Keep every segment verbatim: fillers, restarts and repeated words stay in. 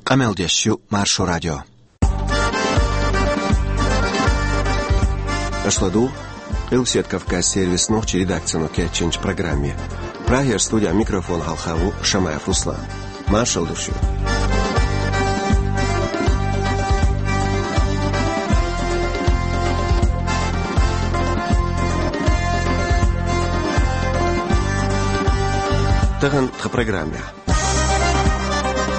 Къамел деш ю Маршо радио. Аша ладугӀу Къилбаседа Кавказ сервисан нохчийн редакцино кечйинчу программе. Прагера студехь микрофон хьалха ву Шамаев Руслан. Маршалла ду шуьга. Тахана тхан программехь.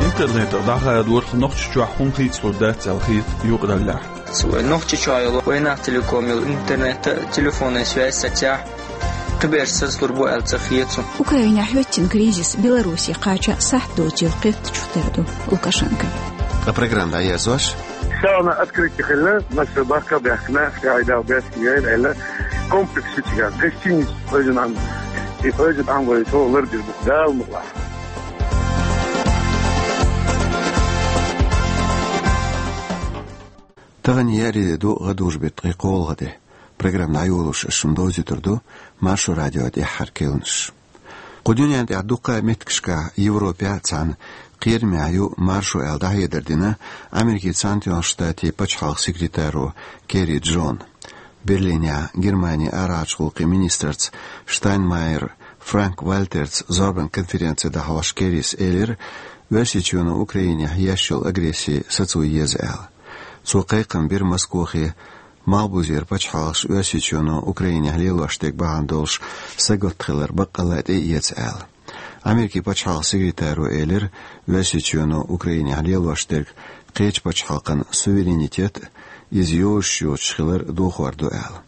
Интернетах дӀахадорах Нохчийчохь хӀума хийцалур дац аьлла хета юкъараллехь. Вай Нохчийчохь йолу вайнах телеком йолу интернет а, телефонан связь сацахь, кхиберш сацалур бу аьлла ца хета суна. Украинехь хӀоьттина кризис Беларусе кхача сахьт доцийла кхеттачух тера ду Лукашенко. Ткъа программа дӀаерзош. Сауна открытие хилла, массо бахка баьхкина, хьайдал бес яйла аьлла, комплекс шичиган, гостиница хьоьжина ам, и хьоьжина ам вай тхо лардир бу, Дала мукъалахь. Тахана еарин де ду, гӀадужу беттан ткъе кхоалгӀа де. Программа дӀайолош ас шуна довзуьйтур ду Маршо радион тӀаьххьара керланаш. Кху дуьнен тӀехь дуккха а меттигашкахь Европехь а, цхьана кхерамехь ю маршо аьлла дӀахьедар дина Америкин Цхьаьнатоьхначу Штатийн пачхьалкхан секретаро Керри Джона. Берлинехь Германин арахьарчу гӀуллакхийн министрца Штайнмайер Франк-Вальтерца зорбан конференци дӀахьош Керрис элира, Оьрсийчоьно Украинехь еш йолу агресси сацо еза аьлла. Цо кхайкхам бира Москохе, малхбузера пачхьалкхаш Оьрсийчоьно Украинехь лелош дерг бахьана долуш сагатта хилар баккъалла а тӀеэца аьлла. Америкин пачхьалкхан секретаро элира, Оьрсийчоьно Украинехь лелош дерг кхечу пачхьалкхан суверенитет а, иза йозуш йоцуш хилар а дохор ду аьлла.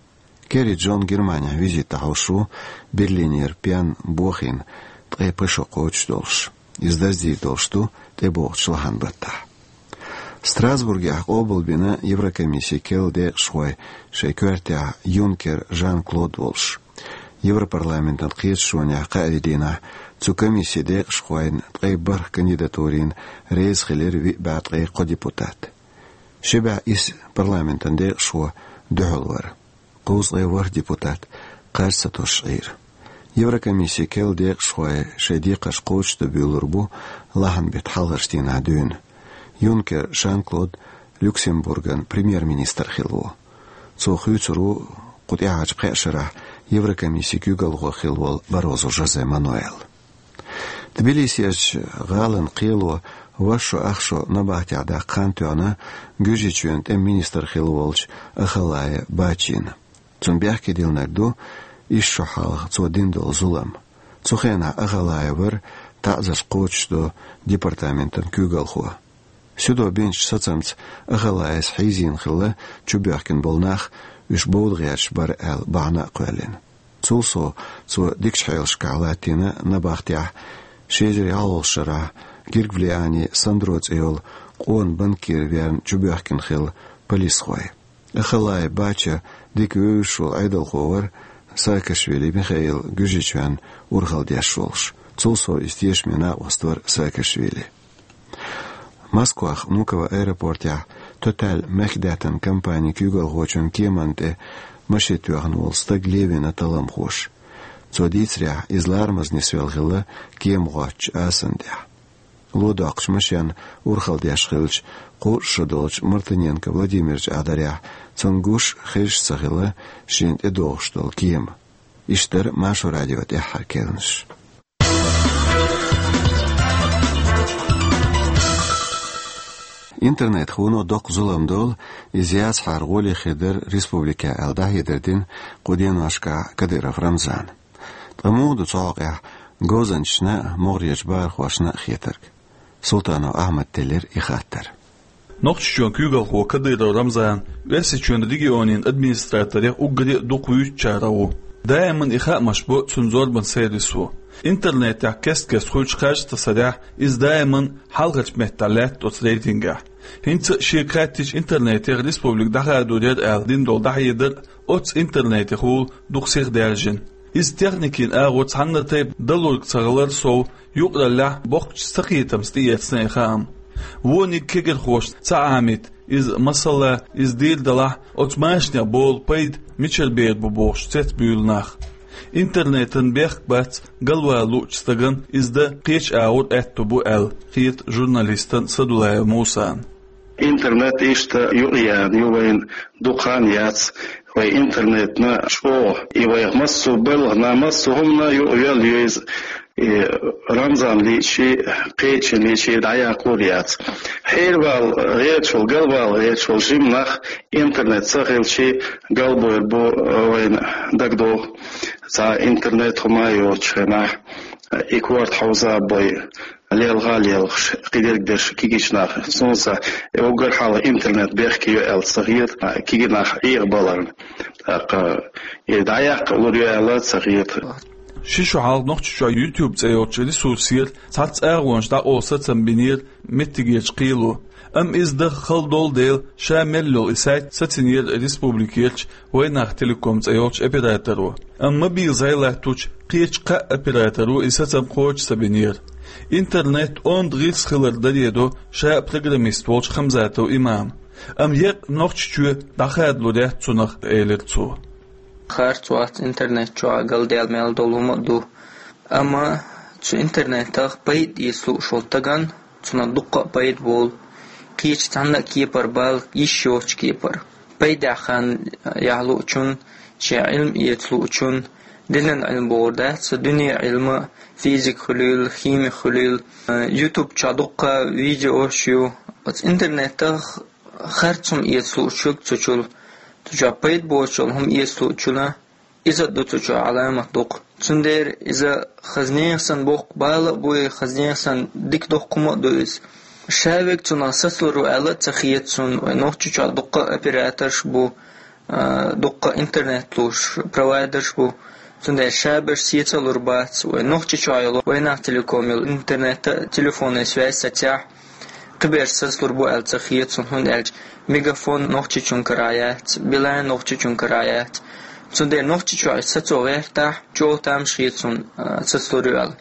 Керри Джон Германехь визит дӀахьош ву, Берлинера пен бохийна, ткъе пхи шо кхочуш долуш. Иза даздийр долуш ду тӀебогӀучу лахьан баттахь. Страсбургехь къобалбина Еврокомиссин керла декъашхой, шайн коьртехь Юнкер Жан-Клод волуш. Европарламентан кхеташонехь кхаьаллин дийнахь цу комиссин декъашхойн ткъе бархӀ кандидатурина реза хилира виъ бӀе ткъе кхо депутат. Ши бӀе исс парламентан декъашхо дуьхьал вара. Кхузткъе ворхӀ депутат кхаж ца тосуш Ӏийра. Еврокомиссин керла декъашхой шайн декхарш кхочушдан буьйлур бу лахьан беттан хьалхарчу дийнахь дуьйна. Юнкер Жан-Клод Люксембурган премьер-министр хилла ву. Цо хуьйцур ву кху тӀаьхьарчу пхеа шарахь Еврокомиссин куьйгалхо хилла волу Баррозу Жозе Мануэл. Тбилисерчу гӀалин кхело ваьш шо ах шо набахтехь даккха хан тоьхна Гуьржийчоьнан тӀеман министр хилла волчу Ахалая Бачина. Цунна бехке диллинарг ду исс шо хьалха цо дина долу зулам. Цу хенахь Ахалая вара таӀзарш кхочушдо департаментан куьйгалхо. Суьдо бинчу сацамца Ахалаяс хьийзийна хилла чубоьхкина болу нах, уьш бовда гӀерташ бара аьлла, бахьана а кхоьллина. Цул сов, цо дикачу хьелашкахь латтийна набахтехь ши эзар ялхолгӀачу шарахь Гиргвлиани Сандро цӀе йолу къона банкир верна чубоьхкина хилла полисхой. Ахалая Бача дика вевзаш волу Ӏедалхо вара Саакашвили Михаил, Гуьржийчоьнан урхалла деш волуш. Цул сов, иза тешаме накъост вара Саакашвили. Москвахь Внуково аэропортехь Тоталь мехкдаьттан компанин куьйгалхочун кеманна тӀе машен тоьхна волу стаг левина талламхоша. Цо дийцарехь, иза ларамаза нисвелла хилла кема гӀоттачу асанна тӀехь. Ло доккхучу машенна урхалла деш хиллачу кхузткъа шо долчу Мартыненко Владимирчу Ӏадарехь, цунна гуш хезаш ца хилла шена тӀедогӀуш долу кема. Иштта дара Маршо радион тӀаьххьара керланаш. Интернетах вуно доккха зулам долу, иза яцахьара гӀоле хир дара республикехь аьлла, дӀахьедар дина кху деношкахь Кадыров Рамзана. Ткъа муха ду цу хьокъехь говзанчашна а, могӀарерчу бахархошна а хетарг? Султанов Ахьмада теллира и хаттар. Нохчийчоьнан куьйгалхо Кадыров Рамзана Оьрсийчоьнан регионийн администраторех уггаре а дукха вуьйцучарах ву. Даиман и хаамаш бо цуьнан зорбан сервисо. Интернетехь кест-кеста хуьлучу кхаж тасарехь, иза даиман хьалхарчу меттехь лаьтта оцу рейтингехь. ХӀинца а шега хаьттича интернетех республика дӀахадор яра аьлла дина долу дӀахьедар оццу интернетехула дукха сиха даьржина. Иза техникин агӀор цхьанна тайпа далург ца хилар сов, юкъараллехь боккхачу сакхетамца тӀеэцна и хаам. Вониг кегирхошна ца Ӏамийта иза, масала, иза дийр далахь, оцу машанех болу пайда мичара бер бу бохуш цецбуьйлу нах. Интернетан бехк бац галвала луучу стаган иза дан кхечу агӀор аьтто бу аьлла, хета журналистан Садулаев Мусан. Интернет иштта юкъаяьлла ю вайна дукха хан яц, вай интернетна чӀогӀа, и вайх массо а балхана, массо а хӀумана юкъайоьлла ю иза, и Рамзан лийча, кхечанхьа лийча дӀаяккхалур яц. Хьервала гӀерташ волу, галвала гӀерташ волу жима нах интернет ца хилча, галбойр бу вайна дагадогӀу. Цхьа интернет хӀума а йоцучу хенахь, и корта хьовза а бой, лелха а лелхаш, кхидерг дерш кегийчу нах. Суна сан, и уггар хьалха интернет бехке ю аьлла ца хета, кегий нах Ӏехабаларна. ТӀаккха и дӀаяккха лур ю аьлла ца хета. Ши шо хьалха Нохчийчохь YouTube цӀе йолчу ресурсера цхьацца агӀонаш дӀакъовла сацам бинера меттигерчу кхело. Амма иза даха хала долу дела, ша мел йолу и сайт сацийнера республикерчу «Вайнах Телеком» цӀе йолчу операторо. Амма мобил зӀе латточу кхечу кхаа операторо и сацам кхочуш ца бинера. Интернет онда гӀирс хилар даре до ша а программист волчу Хамзатов Имама. Амма еккъа Нохчийчоь дӀахадалур яц цунах, элира цо. Харц вац интернет чохь галдаьлла мел долу хӀума а ду. Амма цу интернетах пайда эца лууш волу стагана, цунах дуккха а пайда болу. Кхечу цхьанна а кепара бала йиш йоцучу кепара. Пайдехь хан яхьа луучун, шен Ӏилма эца луучун, динан Ӏилма бохур дац, дуьне Ӏилма, физика хуьлийла, хими хуьлийла. YouTube чохь дуккха видеош ю. Оцу интернетах харц хӀума эца луучуьнга цу чул, цу чохь пайда боцучул хӀума эца луучунна, иза а ду цу чохь Ӏаламат дукха. Цундела иза хаза нехан санна боккха бала а буй, хаза нехан санна дика доккха хӀума а ду иза. Ша верг цунах сацалур ву аьлла а ца хета суна, вай Нохчийчохь дуккха а операторш бу, а, дуккха а интернет луш провайдерш бу. Цундела ша берш сецалур бац, вай Нохчийчохь йолу «Вайнах Телеком» йолу интернета, телефонан связь сацахь, кхиберш сацалур бу аьлла ца хета суна, хӀунда аьлча Мегафон Нохчийчуьнан карахь яц, Билайн Нохчийчуьнан карахь яц. Цундела Нохчийчохь сацо гӀертахь, чӀогӀа тамаш хета суна, а, сацалур ю аьлла.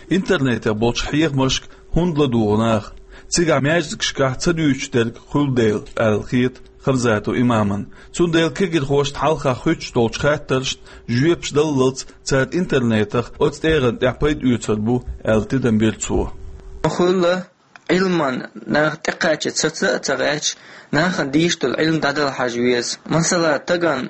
Интернетехь болчу хьехамашка хӀунда ладугӀу наха? Цигахь маьждигашкахь ца дуьйцуш дерг хуьлу дела, аьлла хета Хамзатов Имамна. Цундела кегирхошна хьалха хуьттуш долчу хаттаршна жоьпаш даллалц цара интернетах оцу тӀегӀан тӀехь пайда оьцур бу, аьлла тидам бира цо. Хуьлу Ӏилман наха тӀекхача саца а ца гӀерташ, нахана дийшина долу Ӏилма дӀадала хьажа веза. Масала, стагана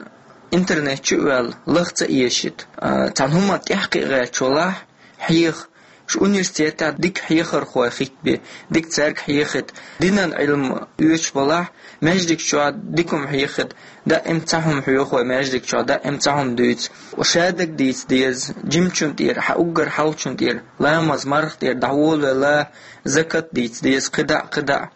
интернет чу а ваьлла, лаха ца эшийта. А, цхьана хӀуманна тӀаьхьакхиа гӀерташ валахь, хьеха, шу университетехь дика хьехархой хӀиттабе, дика цаьрга хьехийта. Динан Ӏилма оьцуш балахь, маьждиг чохь дика хӀума хьехийта, даим цхьа хӀума хьоьху вай маьждиг чохь, даим цхьа хӀума дуьйцу. Ша дерг дийца деза, жимачун тӀера, хьан уггар хьалхачун тӀера, ламаз, марха тӀера дӀаволавелла, закат дийца деза, кхидӀа а, кхидӀа а.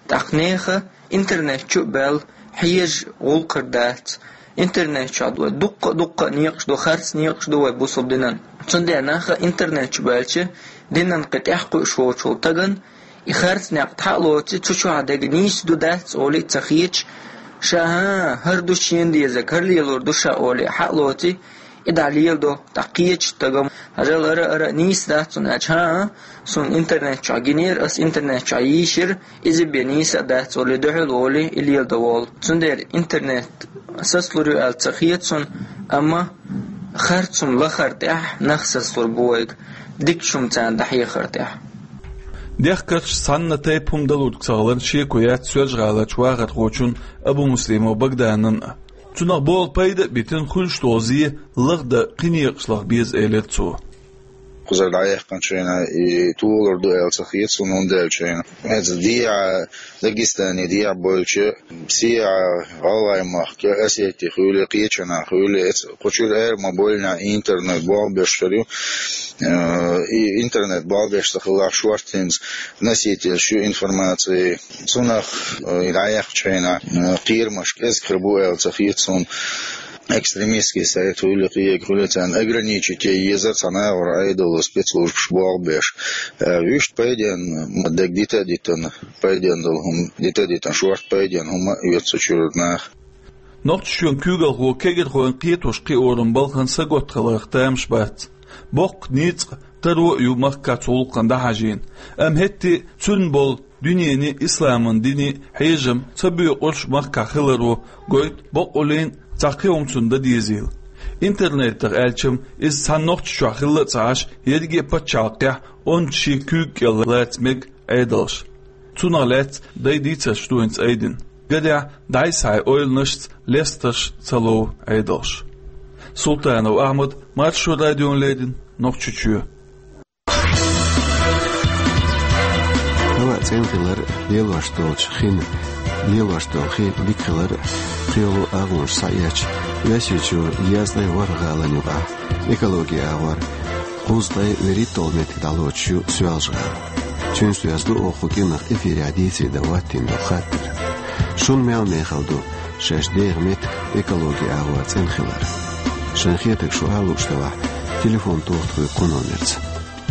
ТӀаккха нехан интернет чу а баьлла, хьежа гӀуллакх хир дац. Интернет чохь вай дуккха а, дуккха а некъаш ду, харц некъаш ду вай бусалба динан. Цундела наха интернет чу баьлча, динан кхин тӀаьхьакхуьуш воцуш волу стагана и харц некъ хьа а лоций, цу чохь дерг нийса ду, дац олий а ца хеташ, ша, хӀан, хӀара ду шена дезарг, хӀара лелор ду ша олий хьа а лоций, и дӀа леладо, тӀаккха кхечу стагана, хьажал, ара, ара, нийса дац цунна аьлча, хӀан, суна интернет чохь гинера, ас интернет чохь йийшира, иза бен нийса а дац олий, дуьхьал волий, и леладо волу. Цундела интернет сацалур ю аьлла ца хета суна, амма харц хӀума лахар тӀехь нах сацалур бу вайга, дикачу хӀума царна дӀахьехар тӀехь. Дехкарш цхьанна тайпа хӀума далург ца хиларна шеко яц Соьлжа-ГӀаларчу вахархочун Абумуслимов Багданан а. Цунах боху пайда а битина, хуьлуш долу зе лахдан кхин некъашлах беза, элира цо. Кхузара дӀаяьккхинчу хенахь и толур ду аьлла ца хета суна, хӀунда аьлча хьайна иза дехьа, Дагестане дехьа болчу, сехьа, ГӀалгӀай махка, Осетия хуьлий, кхечанхьа хуьлий, эца кху чуьра ара ма боллинехь интернет болх беш хир ю. Э, и интернет болх беш ца хилахь, шорта хӀинца носительш ю информации. Цунах, э, и дӀаяьккхинчу хенахь, э, кхерамаш кӀезиг хир бу аьлла ца хета суна. Экстремистский сайт хуьлий, кхиерг хуьлий, царна ограничить е езар цхьана агӀор Ӏедало спецслужбаш болх беш. Э, вуьшта пайденна дерг дита а дитина, пайденна долу хӀума дита а дитина, шорта пайденна хӀума а оьцу цу чуьра наха. Нохчийчоьнан куьйгалхо кегирхойн кхетош кхиоран балхана сагатта хиларх тамаш бац. Боккха ницкъ, таро а ю махкахь цу гӀуллакхана дӀахьажийна. Амма хӀетте а цуьнан болу дуьненан, исламан динан хьежам ца боькъурш махкахь хиларо гойту боккъаллин цхьа кхин хӀума цунна дан дезийла. Интернетах аьлча-м, иза цхьана Нохчийчохь хилла а ца Ӏаш, ерриге а пачхьалкхехь онда шен куьйга кӀел лаца мега Ӏедалш. Цунах лаьцна дай дийцарш ду хӀинца айдина. Гарехь, дӀай-схьай ойланашца лестарш ца лов Ӏедалш. Султанов Ахьмад, Маршо радиона леррина, Нохчийчоь. Хьала а цӀена хилар, лелош долчу хин, лелош долу хи дика хилар, кхело агӀонаш схьаэцча, Оьрсийчуьра дезткъе ворхӀ гӀалина юкъахь экологин агӀор кхузткъе вуьрхӀитталгӀа меттиг дӀалоцуш ю Соьлжа-ГӀала. Цуьнца доьзна ду оха кху кӀиранах эфирехь дийцаре дан хӀоттийна долу хаттар. Шуна мел мехала ду шаьш деха меттиг экологин агӀор цӀена хилар? Шайн хетарг шу ала лууш делахь, телефон тоха тхоьга кху номерца: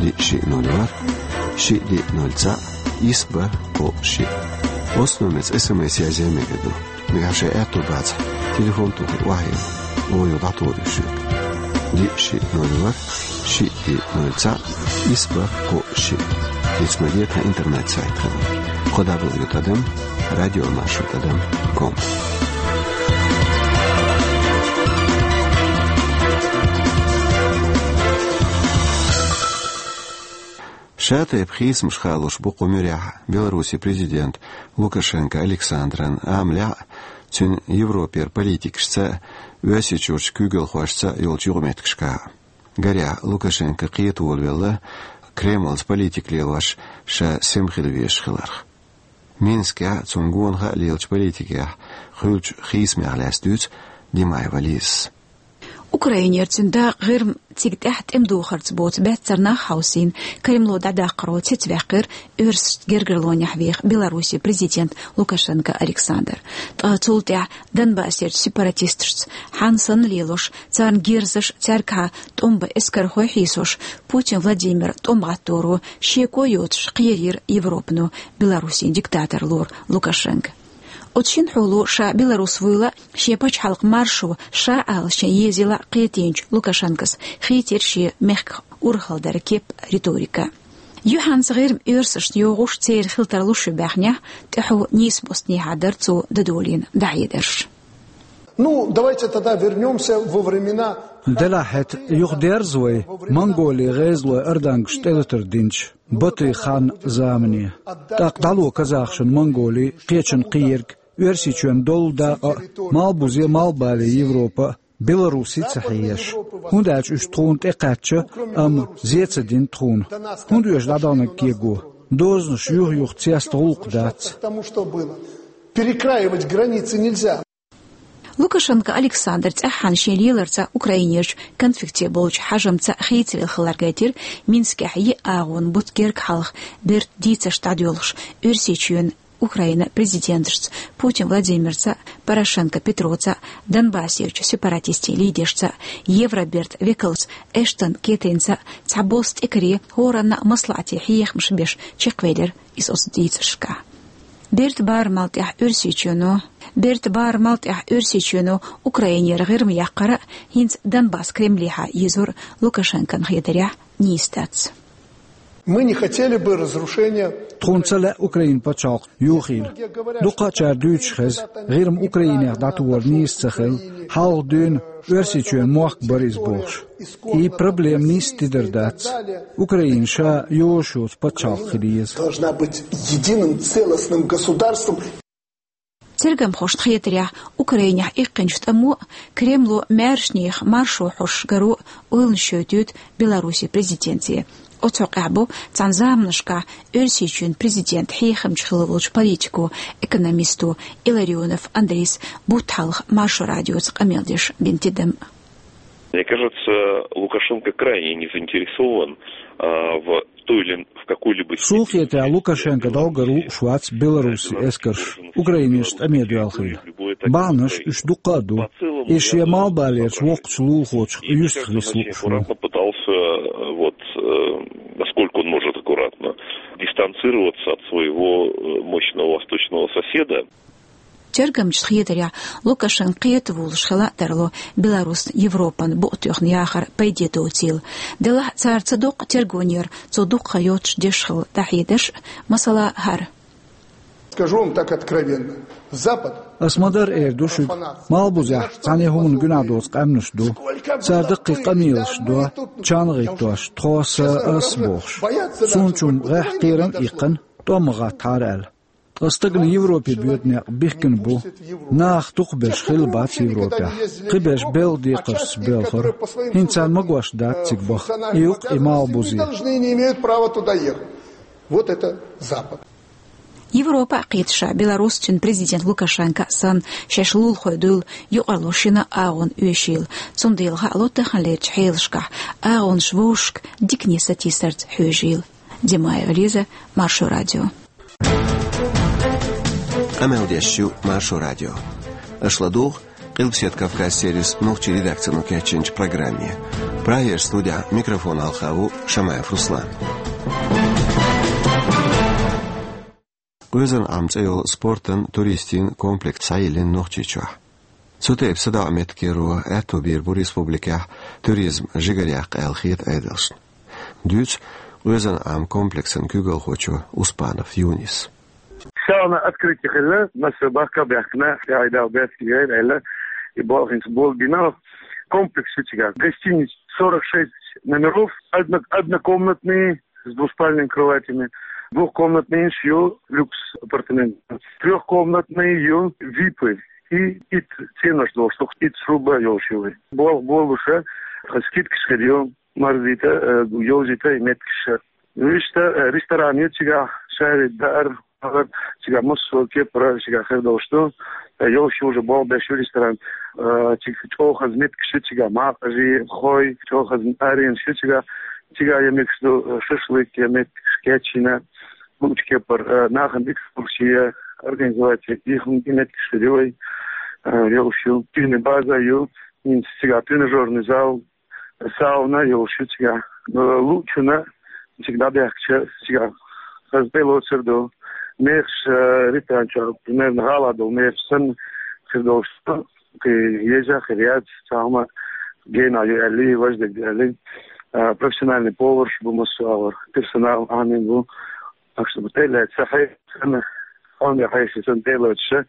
диъ шиъ ноль ворхӀ, шиъ диъ ноль цхьаъ, исс бархӀ кхоъ шиъ. Оцу номерца СМС язъян а мегар ду. Нагахь шайн аьтто бацахь, телефон тохий охьайилла, оха юха дӀатухур ю шуьга. Диъ шиъ ноль ворхӀ, шиъ диъ ноль цхьаъ, исс бархӀ кхоъ шиъ. Иштта ма де, тхан интернет-сайт хилла: кхо дабл ю тӀадам радио маршо тӀадам ком. Ша тайпа хийцамаш хаалуш бу кху муьрехь Беларусин президент Лукашенко Александран, амма лаьа цуьнан Европера политикашца а, Оьрсийчуьрчу куьйгалхошца а йолчу юкъаметтигашкахь а. Гарехь, Лукашенко кхета волавелла Кремльца политика лелош ша сема хила везаш хиларх. Минскехь а, цунна гонах а лелачу политикехь хуьлучу хийцамех лаьцна дуьйцу Димаева Лизас. Украинера цуьнан дакъа ГӀирма цига тӀаьхьа тӀеман духарца боцу баьццара нах хьовсийна, Кремло дӀадаккхаро цецваьккхира оьрсашна гергарлонехь веха Беларусин президент Лукашенко Александр. Ткъа цул тӀаьхьа Донбассерчу сепаратисташца хьанна санна лелош, царна герзаш, цаьргахьа тӀом бан эскархой хьийсош, Путин Владимир тӀом гӀаттаро шеко йоцуш кхерийра Европано Беларусин диктатор лору Лукашенко. Оцу шина хьоло ша беларус вуйла а, шен пачхьалкх маршо ша ала шен езийла а кхетийначу Лукашенкос хийцира шен мехках урхаллера кеп а, риторика а. Юьхьанца ГӀирма оьрсашна йогӀуш церан хила тарлуш ю баьхнехь, тӀаьхьо нийсбостнехьа дара цо дӀадолийна дӀахьедарш. Ну, давайте тогда вернёмся во времена. Делахь хӀета юха дерза вай Монголин гӀезалой ардангашна тӀелатар динчу Батыйн хан замане. ТӀаккха дӀало казахашна Монголе, кхечунна кхиерг, Оьрсийчоьнан доллу дакъа а, малбузе а, малхбале Европа а, Беларуси а ца хьеша. ХӀунда аьлча уьш тхуна тӀекхаьчча, амма зе ца дина тхуна. ХӀунда уьш дӀадаханарг кего? Дозанаш юх-юха цеста гӀуллакх дац. Потому что было. Перекраивать границы нельзя. Лукашенко Александр цӀеххьана шен леларца, Украинерчу конфликте болчу хьажамца хийцавелла хилар гайтира Минскехь йиъ агӀонан бутт герга хьалха бертан дийцарш дӀадоьлхуш Оьрсийчоьнан, Украинан президенташца Путин Владимирца а, Порошенко Петроца а, Донбассерчу сепаратистийн лидершца а, Евробертан векалца Эштон Кэтринца а, цхьаболу стикаре хӀоранна а маслаӀате хьехамаш беш чекхвелира иза оцу дийцаршкахь. Бертан барамал тӀехь Оьрсийчоьно, бертан барамал тӀехь Оьрсийчоьно Украинера ГӀирма яккхар а, хӀинца Донбасс Кремлехьа йизор Лукашенкон хетарехь нийса дац. Мы не хотели бы разрушения. Тхуна ца лаьа Украинан пачхьалкх йохийла. Дукхачара дуьйцуш хеза, ГӀирма Украинех дӀатухар нийса ца хилла, хьалха дуьйна Оьрсийчоьнан мохк бара иза бохуш. И проблема нийса тидар дац. Украина ша йозуш йоцу пачхьалкх хила еза. Должна быть единым целостным государством. Цергамхошна хетарехь, Украинехь иккхинчу тӀамо а, Кремло маьршнех маршо хьош гаро а ойланаш йойтуьйту Беларусин президенте. Оцу хьокъехь бу цхьана заманашкахь Оьрсийчоьнан президентан хьехамча хилла волчу политико, экономисто Илларионов Андрейс бутт хьалха Маршо радиоца къамел деш бина тидам. Мне кажется, Лукашенко крайне не заинтересован, а, в той или в какой-либо степени. Суна хетарехь, Лукашенко дӀогара лууш вац Беларусин эскарш Украинерчу тӀаме доьлхийла. Бахьанаш уьш дуккха а ду. И шен малхбалерчу воккхачу лулахочух юьстахвиса лууш ву. Аккуратно пытался, э, вот, э, насколько он может аккуратно, дистанцироваться от своего, э, мощного восточного соседа. Тергамчашна хетарехь, Лукашенко кхета волуш хила а тарло Беларусна Европана букъ тоьхна яхар пайде доцийла. Делахь а цара ца доккху тергонера цо дуккха йоццуш деш хилла дӀахьедарш а, масала, хӀара. Скажу вам так откровенно. Запад. Ас ма дарра эр ду шуьга, малбузехь цхьана хӀуманна гуьнахь доцу къаьмнаш ду. Цара даккхий къамелаш до, чан гӀиттош, тхо са ас бохуш. Цунна чу гӀехь кхерам а иккхина, тӀом ма гӀаттахьара аьлла. Ткъа стагана Европе боьду некъ бихкина бу. Нах дукхахберш хилла бац Европехь. Кхиберш белхан декхаршца боьлхура. ХӀинца царна магош дац цига баха. И ю-кх и малбузе. Должны, не имеют права туда ехать. Вот это Запад. Европа а кхеташ, Беларусин президент Лукашенко а санна, шаьш лулахой дуйла юкъарло шина агӀонна оьшийла. Цундела хаало таханлерчу хьелашкахь агӀонаш вовшашка дикане сатийсарца хьоьжийла. Димаева Лиза, Маршо радио. Къамел деш ю Маршо радио. Аша ладугӀу Къилбаседа Кавказ сервисан нохчийн редакцино кечйинчу программе. Прагерчу студехь микрофон хьалха ву Шамаев Руслан. Къоьзан Ӏам цӀе йолу спортан, туристийн комплекс схьайиллина Нохчийчохь. Цу тайпа садаӀа меттигера аьтто бийр бу республикехь туризм жигаръяккха аьлла хета Ӏедалшна. Дуьйцу Къоьзан Ӏам комплексан куьйгалхочо Успанов Юнис. Сауна открытие хилла, массо бахка баьхкина, тӀаьхьа Дала баьцкигайра аьлла, и болх хӀинца болх бина. Комплекс ю цигахь. Гостиница сорок шесть номеров, одно-, однокомнатные, с двуспальными кроватями. Двухкомнатные ю люкс апартамент. Трёхкомнатные ю випы. И итт цӀенош долуш, только итт сруба йолуш ю вай. Болх болуша, скидкаш хир ю, марзийта, э, йовзийта и меттигаш. Вуьшта, э, ресторан ю цигахь, шаьрин даар, цигахь массо кепара цигахь хир долуш ду. Э, йолуш ю уже болх беш ю ресторан. Э, цига чӀогӀа хаза меттигаш ю цигахь, макъажий, хой, чӀогӀа хаза аренаш ю цигахь. Цигахь я мегаш ду, э, шашлык, я меттигаш кечйина, луучу кепара, э, нахана экскурсия организовать, и хӀума и меттигаш хир ю вай, э, йолуш ю. Активный база ю, хӀинца цигахь тренажёрный зал, сауна йолуш ю цигахь. Э, луучунна цига дӀабаьхкича, цигахь хаза тӀелоцур ду. Мехаш, э, ресторан чохь, примерно, гӀала долу мехаш санна хир долуш ду. Кхин еза хир яц, цхьа хӀума гена ю аьлли, важа дерг ду аьлли. Э, профессиональный поварш бу массо а агӀор, персонал Ӏамийна бу. Так что тӀелаьцна сан хье-, сан хьоме хьеший сан тӀелоцуша,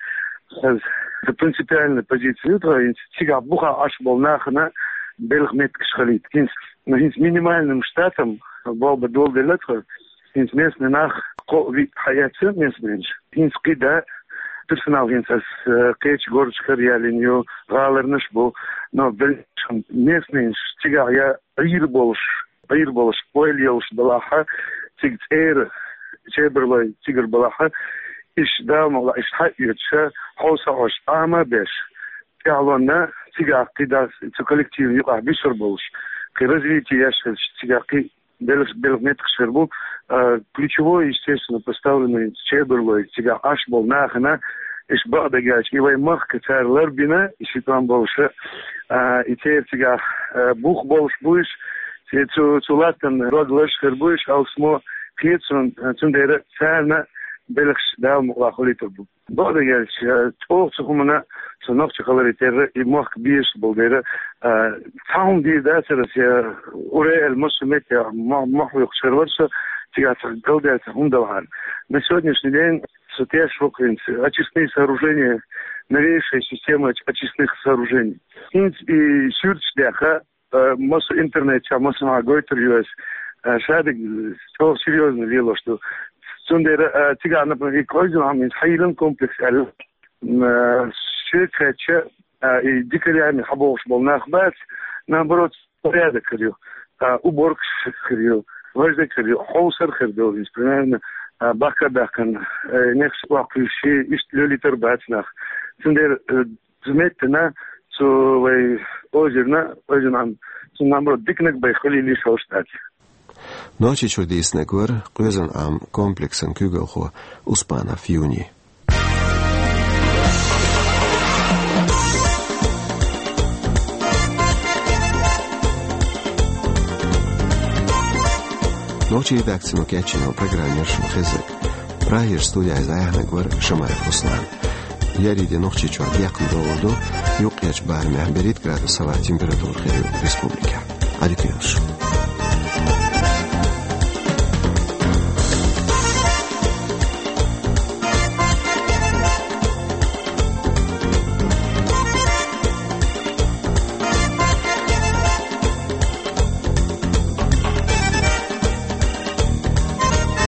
сан принципиальная позиция ю тхан, хӀинца цигахь буха Ӏаш болу нахана белхан меттигаш хилийта. ХӀинца, ну, хӀинца минимальным штатом болх бан доладелла тхан, хӀинца местный нах кхо-виъ хьаэцна местныйнаш. ХӀинца кхидӀа персонал хӀинца ас, э, кхечу горжашкара ялийна ю, гӀаларнаш бу, но белхан местныйнаш цигахь я Ӏийр болуш, Ӏийр болуш, ойла йолуш балахьа, цига цӀера чебарлой цигара балахьа, иштта Дала мукъ лахь, иштта хьаоьцуша, хьовса Ӏош, Ӏама а беш, тӀаьхьалонна цигахь кхидӀа цу коллективна юкъахь буьсур болуш, кхин развитие еш хилча, цигахь кхин белх-, белхан меттигаш хир бу, а, ключевой, естественно, поставленный чебарлой цигахь Ӏаш болу нахана, иштта бакъдерг аьлча, и вай махка цара ларбина, и ши тӀом болуша, а, и церан цигахь, а, бух болуш бу уьш, цу, цу латтана дог лазаш хир бу уьш, алсмо кхета суна, а, цундела царна белхаш Дала мукъ лахь хуьлуьйтур бу. Бакъдерг аьлча, чӀогӀа цу хӀуманна, цу нохчийн хиларе терра, и мохк безаш болу дера, а, цхьа хӀума дийр дацара аса, я уре аьлла, массо а метте мо-, мохь вуьйхуш хир вара со, цигахь цхьа галдаьлла цхьа хӀума далахьара. На сегодняшний день со тешаш ву хӀинца очистные сооружения, новейшая система оч-, очистных сооружений. ХӀинца и суьрташ даьхна, э, массо интернет чохь, массо а гойтур ю аса, э, шадерг, э, чӀогӀа серьёзно лелош ду. Цундела, э, цигахь, например, и Къоьзан Ӏамин хьайиллина комплекс аьлла, м, э, шега кхаьчча, э, и дика лаьмнехь хьабогӀуш болу нах бац, наоборот, порядок хир ю, э, уборкаш хир ю, важа дерг хир ю, хьовсар хир ду, иза, примерно, э, бахка а баьхкина, э, нехаш охьакхуьйсуш, иштта лелийтар бац нах. Цундела, э, Цу меттана, цу вай озерна, Къоьзан Ӏам, цу, наоборот, диканиг бай хилийла йиш йолуш дац. Нохчийчуьра дийцинарг вара Къоьзан Ӏам комплексан куьйгалхо Успанов Юни. Нохчийн редакцино кечйина программа яра шуна хезнарг. Прагерчу студехь иза дӀаяьхьнарг вара Шамаев Руслан. Еарин де Нохчийчохь декхна догӀур ду юккъерчу барамехь берхӀитта градус хилла температура хир ю республикехь. Ӏадика йойла шун.